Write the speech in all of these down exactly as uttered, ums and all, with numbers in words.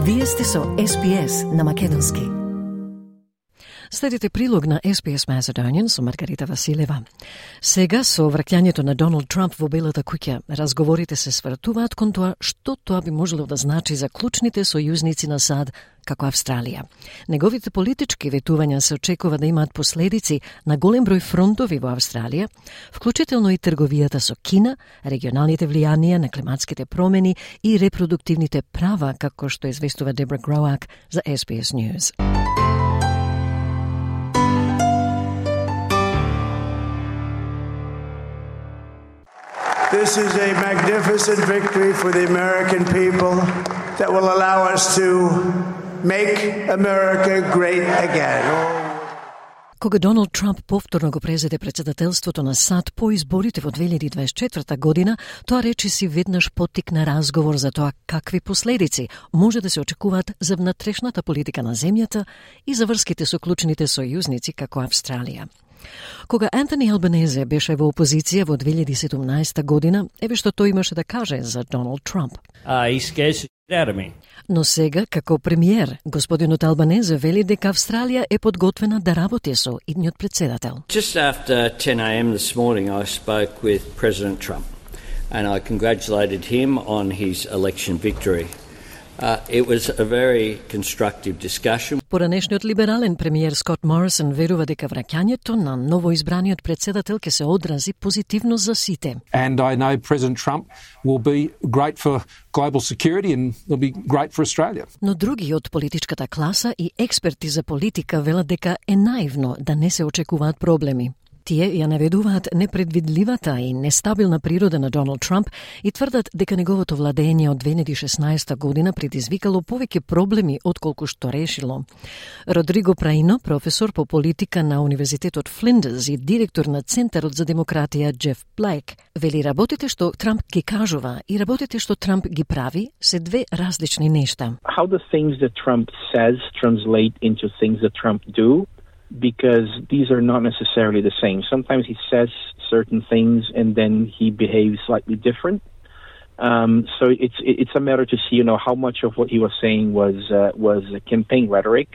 Вие сте со Ес Би Ес на македонски. Следите прилог на Ес Би Ес Macedonian со Маргарита Василева. Сега со враќањето на Доналд Трамп во Белата куќа, разговорите се свртуваат кон тоа што тоа би можело да значи за клучните сојузници на САД како Австралија. Неговите политички ветувања се очекува да имаат последици на голем број фронтови во Австралија, вклучително и трговијата со Кина, регионалните влијанија на климатските промени и репродуктивните права, како што известува Дебра Гроак за Ес Би Ес News. This is a magnificent victory for the American people that will allow us to make America great again. Кога Доналд Трамп повторно го презеде председателството на САД по изборите во две илјади дваесет и четврта година, тоа речиси веднаш поттикна разговор за тоа какви последици може да се очекуваат за внатрешната политика на земјата и за врските со клучните сојузници како Австралија. Кога Антони Албанезе беше во опозиција во две илјади и седумнаесета година, еве што тој имаше да каже за Доналд Трамп. Uh, he scares the shit out of me. Но сега, како премиер, господинот Албанезе вели дека Австралија е подготвена да работи со идниот председател. Just after ten a.m. this morning, I spoke with President Trump, and I congratulated him on his election victory. Uh, it was a very constructive discussion. Поранешниот либерален премиер Скот Морисон верува дека враќањето на новоизбраниот председател ќе се одрази позитивно за сите. And I know President Trump will be great for global security and will be great for Australia. Но други од политичката класа и експерти за политика велат дека е наивно да не се очекуваат проблеми. Тие ја наведуваат непредвидливата и нестабилна природа на Доналд Трамп и тврдат дека неговото владење од две илјади и шеснаесета година предизвикало повеќе проблеми отколку што решило. Родриго Праино, професор по политика на Универзитетот Флиндерс и директор на Центарот за демократија Джеф Блейк, вели работите што Трамп ги кажува и работите што Трамп ги прави се две различни нешта. How the things that Trump says translate into things that Trump do, because these are not necessarily the same. Sometimes he says certain things and then he behaves slightly different. Um, so it's it's a matter to see, you know, how much of what he was saying was uh, was campaign rhetoric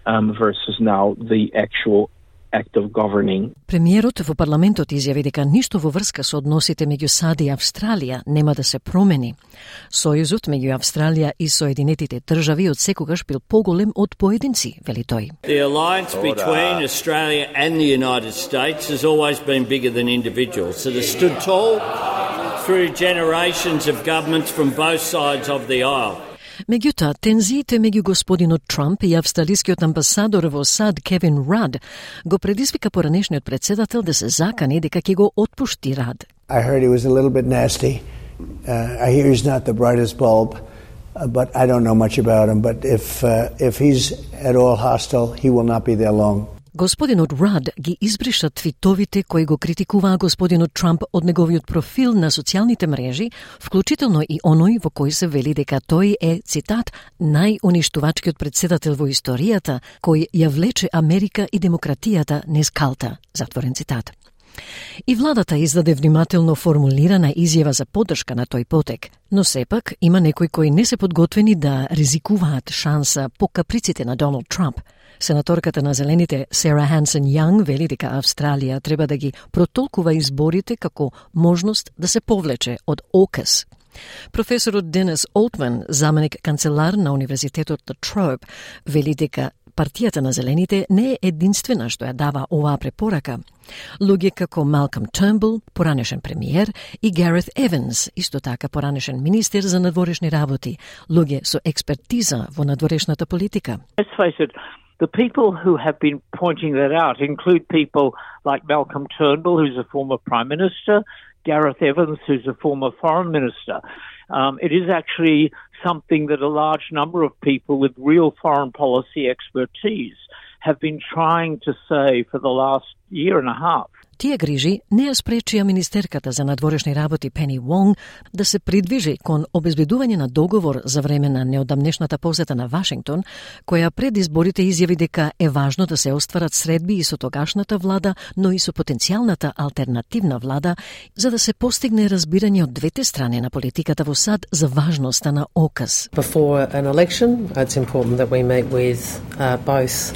um, versus now the actual act of governing. Премиерот во парламентот изјави дека ништо во врска со односите меѓу САД и Австралија нема да се промени. Сојузот меѓу Австралија и Соединетите држави од секогаш бил поголем од поединци, вели тој. The alliance between Australia and the United States has always been bigger than individuals that have stood tall through generations of governments from both sides of the aisle. Меѓутоа, тензиите меѓу господинот Трамп и австралискиот амбасадор во САД Кевин Рад го предизвика поранешниот председател да се закани дека ќе го отпушти Рад. I heard he was a little bit nasty. Uh, I hear he's not the brightest bulb, uh, but I don't know much about him. But if uh, if he's at all hostile, he will not be there long. Господинот Рад ги избриша твитовите кои го критикуваа господинот Трамп од неговиот профил на социјалните мрежи, вклучително и оној во кој се вели дека тој е, цитат, најуништувачкиот председател во историјата, кој ја влече Америка и демократијата низ калта, затворен цитат. И владата издаде внимателно формулирана изјава за поддршка на тој потек, но сепак има некои кои не се подготвени да ризикуваат шанса по каприците на Доналд Трамп. Сенаторката на Зелените Сара Хансен Јанг вели дека Австралија треба да ги протолкува изборите како можност да се повлече од ОКАС. Професорот Денис Олтман, заменик канцелар на Универзитетот La Trobe, вели дека партијата на Зелените не е единствена што ја дава оваа препорака. Луѓе како Малком Тернбул, поранешен премиер, и Гарет Еванс, исто така поранешен министер за надворешни работи, луѓе со експертиза во надворешната политика. Let's face it, the people who have been pointing that out include people like Malcolm Turnbull, who's a former Prime Minister, Gareth Evans, who's a former Foreign Minister. Um, it is actually something that a large number of people with real foreign policy expertise have been trying to say for the last year and a half. Тие грижи не ја спречија министерката за надворешни работи Пени Вонг да се придвижи кон обезбедување на договор за време на неодамнешната посета на Вашингтон, која пред изборите изјави дека е важно да се остварат средби и со тогашната влада, но и со потенцијалната алтернативна влада, за да се постигне разбирање од двете страни на политиката во САД за важноста на ОКАС. Before an election, it's important that we meet with uh, both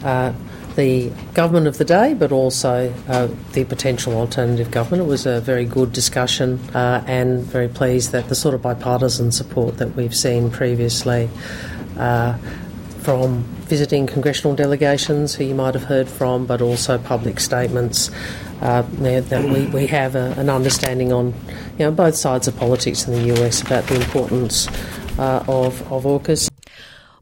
uh, the government of the day, but also uh, the potential alternative government. It was a very good discussion uh, and very pleased that the sort of bipartisan support that we've seen previously uh, from visiting congressional delegations who you might have heard from, but also public statements uh, that we, we have a, an understanding on, you know, both sides of politics in the U S about the importance uh, of, of AUKUS.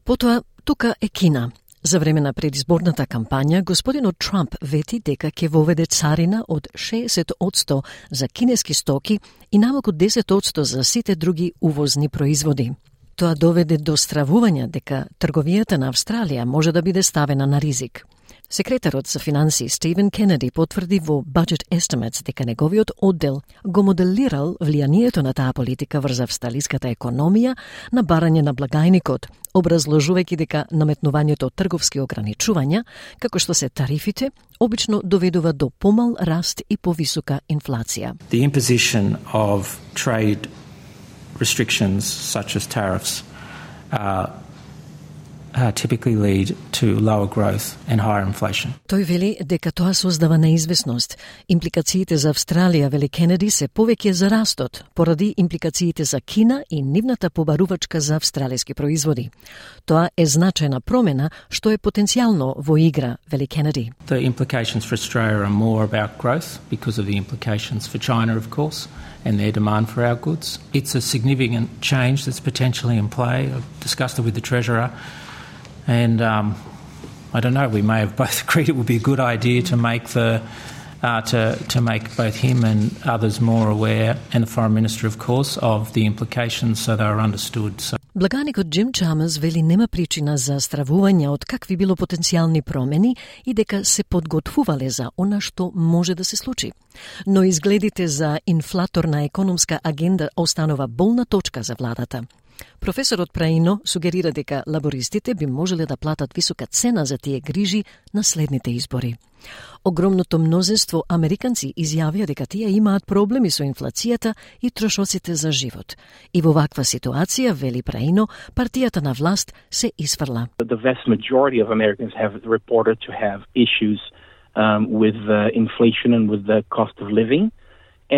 Потоа, тука е Кина. За време на предизборната кампања, господинот Трамп вети дека ќе воведе царина од шеесет одсто за кинески стоки и намалку десет одсто за сите други увозни производи. Тоа доведе до стравување дека трговијата на Австралија може да биде ставена на ризик. Секретарот за финансии Стивен Кенеди потврди во Budget Estimates дека неговиот оддел го моделирал влијанието на таа политика врз австралиската економија на барање на благајникот, образложувајќи дека наметнувањето од трговски ограничувања, како што се тарифите, обично доведува до помал раст и повисока инфлација. The imposition of trade restrictions such as tariffs uh, Uh, typically lead to lower growth and higher inflation. Тој вели дека тоа создава неизвестност. Импликациите за Австралија, вели Кенеди, се повеќе за растот, поради импликациите за Кина и нивната побарувачка за австралиски производи. Тоа е значајна промена што е потенцијално во игра, вели Кенеди. The implications for Australia are more about growth because of the implications for China, of course, and their demand for our goods. It's a significant change that's potentially in play. I've discussed it with the Treasurer. And um, I don't know. We may have both agreed it would be a good idea to make the uh, to to make both him and others more aware, and the Foreign Minister, of course, of the implications, so they are understood. So. Благаникот Джим Чамерс вели нема причина за стравување од какви било потенцијални промени и дека се подготвувале за она што може да се случи. Но изгледите за инфлаторна економска агенда останува болна точка за владата. Професорот Праино сугерира дека лабористите би можеле да платат висока цена за тие грижи на следните избори. Огромното мнозинство американци изјавија дека тие имаат проблеми со инфлацијата и трошоците за живот. И во ваква ситуација, вели Праино, партијата на власт се изфрла. The vast majority of Americans have reported to have issues um, with uh, inflation and with the cost of living.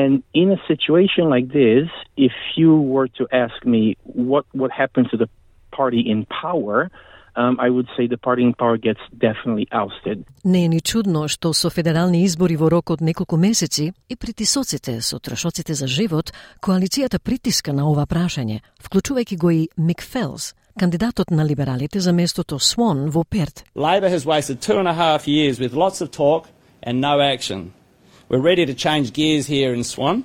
And in a situation like this, if you were to ask me what, what happens to the party in power, um, I would say the party in power gets definitely ousted. Не е ни чудно што со федерални избори во рок од неколку месеци и притисоците со трошоците за живот, коалицијата притиска на ова прашање, вклучувајќи го и Мик Фелс, кандидатот на либералите за местото Свон во Перт. Labor has wasted two and a half years with lots of talk and no action. We're ready to change gears here in Swan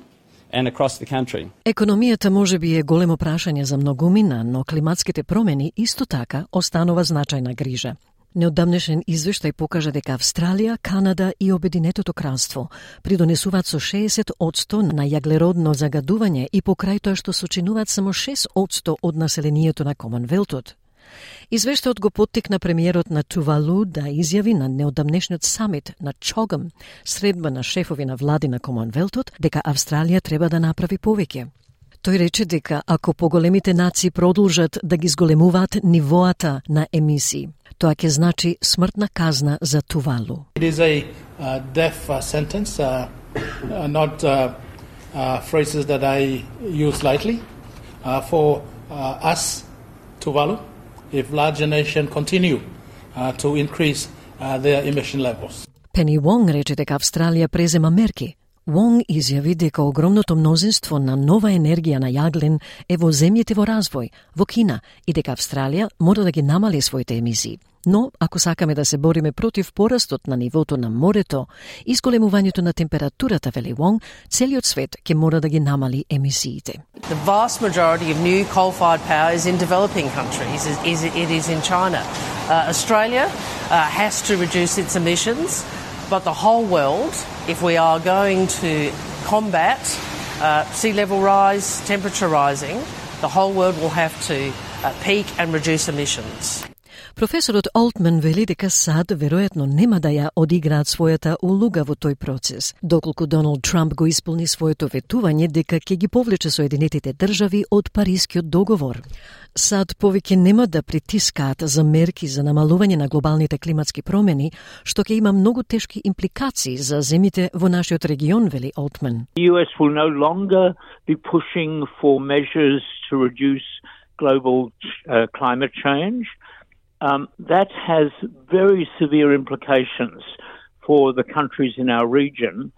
and across the country. Економијата можеби е големо прашање за многумина, но климатските промени исто така останува значајна грижа. Неодамнешен извештај покажа дека Австралија, Канада и Обединетото кралство придонесуваат со шеесет одсто на јаглеродно загадување и покрај тоа што сочинуваат само шест одсто од населението на Комонвелтот. Извештајот го поттикна премиерот на Тувалу да изјави на неодамнешниот самит на Чогам, средба на шефови на влади на Комонвелтот, дека Австралија треба да направи повеќе. Тој рече дека ако поголемите нации продолжат да ги зголемуваат нивоата на емисии, тоа ќе значи смртна казна за Тувалу. It is a uh, death uh, sentence, uh, uh, not uh, uh, phrases that I use lightly. Uh, for uh, us, Tuvalu, if larger nations continue uh, to increase uh, their emission levels. Пени Вонг рече дека Австралија презема мерки. Вонг изјави дека огромното мнозинство на нова енергија на јаглен е во земјите во развој, во Кина, и дека Австралија мора да ги намали своите емисии. Но, ако сакаме да се бориме против порастот на нивото на морето и зголемувањето на температурата, вели Вонг, целиот свет ќе мора да ги намали емисиите. The vast majority of new coal-fired power is in developing countries. It is in China. Uh, Australia uh, has to reduce its emissions But the whole world, if we are going to combat uh, sea level rise, temperature rising, the whole world will have to uh, peak and reduce emissions. Професорот Олтман вели дека САД веројатно нема да ја одиграат својата улога во тој процес, доколку Доналд Трамп го исполни своето ветување дека ќе ги повлече Соединетите држави од Парискиот договор. САД повеќе нема да притискаат за мерки за намалување на глобалните климатски промени, што ќе има многу тешки импликации за земите во нашиот регион, вели Олтман. The U S will no longer be pushing for measures to reduce global uh, climate change. Um, that has very severe implications for the countries in our region.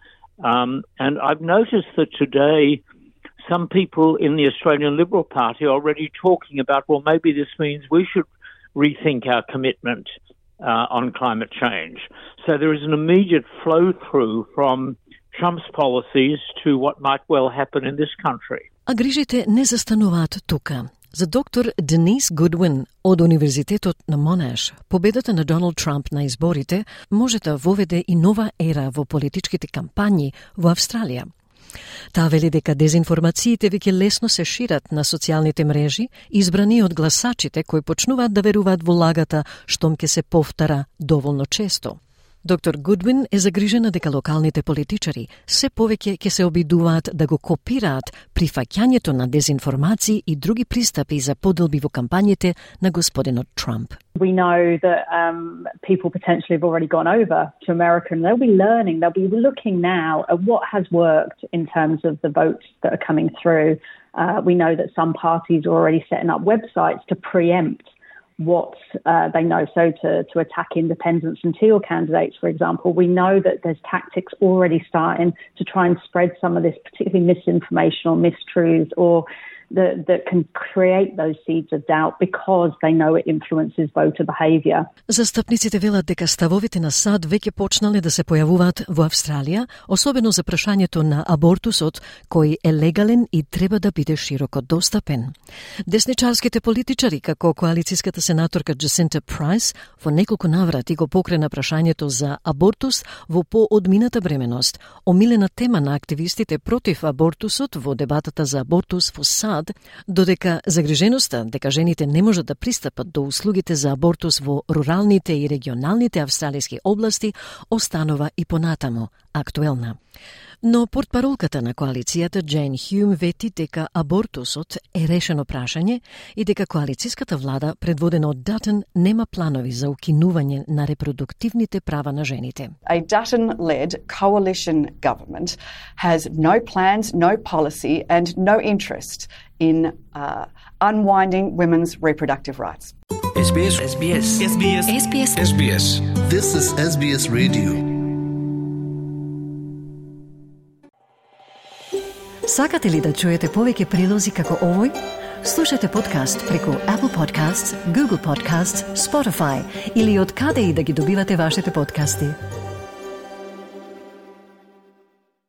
Um, and I've noticed that today some people in the Australian Liberal Party are already talking about, well, maybe this means we should rethink our commitment uh, on climate change. So there is an immediate flow through from Trump's policies to what might well happen in this country. А грижите не застануваат тука. За доктор Денис Гудвин од Универзитетот на Монаш, победата на Доналд Трамп на изборите може да воведе и нова ера во политичките кампањи во Австралија. Таа вели дека дезинформациите веќе лесно се шират на социјалните мрежи, избрани од гласачите кои почнуваат да веруваат во лагата штом ќе се повтара доволно често. Доктор Гудвин е загрижена дека локалните политичари се повеќе ќе се обидуваат да го копираат прифаќањето на дезинформации и други пристапи за поделби во кампањите на господинот Трамп. We know that um, people potentially have already gone over to America and they'll be learning, they'll be looking now at what has worked in terms of the votes that are coming through. Uh, we know that some parties are already setting up websites to preempt what uh, they know, so to, to attack independents and teal candidates, for example. We know that there's tactics already starting to try and spread some of this particularly misinformation or mistruths or that, that can create those seeds of doubt because they know it influences voter behaviour. Застапниците велат дека ставовите на САД веќе почнале да се појавуваат во Австралија, особено за прашањето на абортусот, кој е легален и треба да биде широко достапен. Десничарските политичари, како коалицијската сенаторка Джасинта Прайс, во неколку наврати го покрена прашањето за абортус во поодмината бременост, омилена тема на активистите против абортусот во дебатата за абортус во САД, додека загриженоста дека жените не можат да пристапат до услугите за абортус во руралните и регионалните австралиски области останува и понатамо актуелна. Но портпаролката на коалицијата Джейн Хјум вети дека абортусот е решено прашање и дека коалицијската влада предводена од Датън нема планови за укинување на репродуктивните права на жените. A Dutton-led coalition government has no plans, no policy and no interest in uh, unwinding women's reproductive rights. S B S S B S S B S S B S S B S This is S B S Radio. Сакате ли да чуете повеќе прилози како овој? Слушате подкаст преку Apple Podcasts, Google Podcasts, Spotify или од каде и да ги добивате вашите подкасти.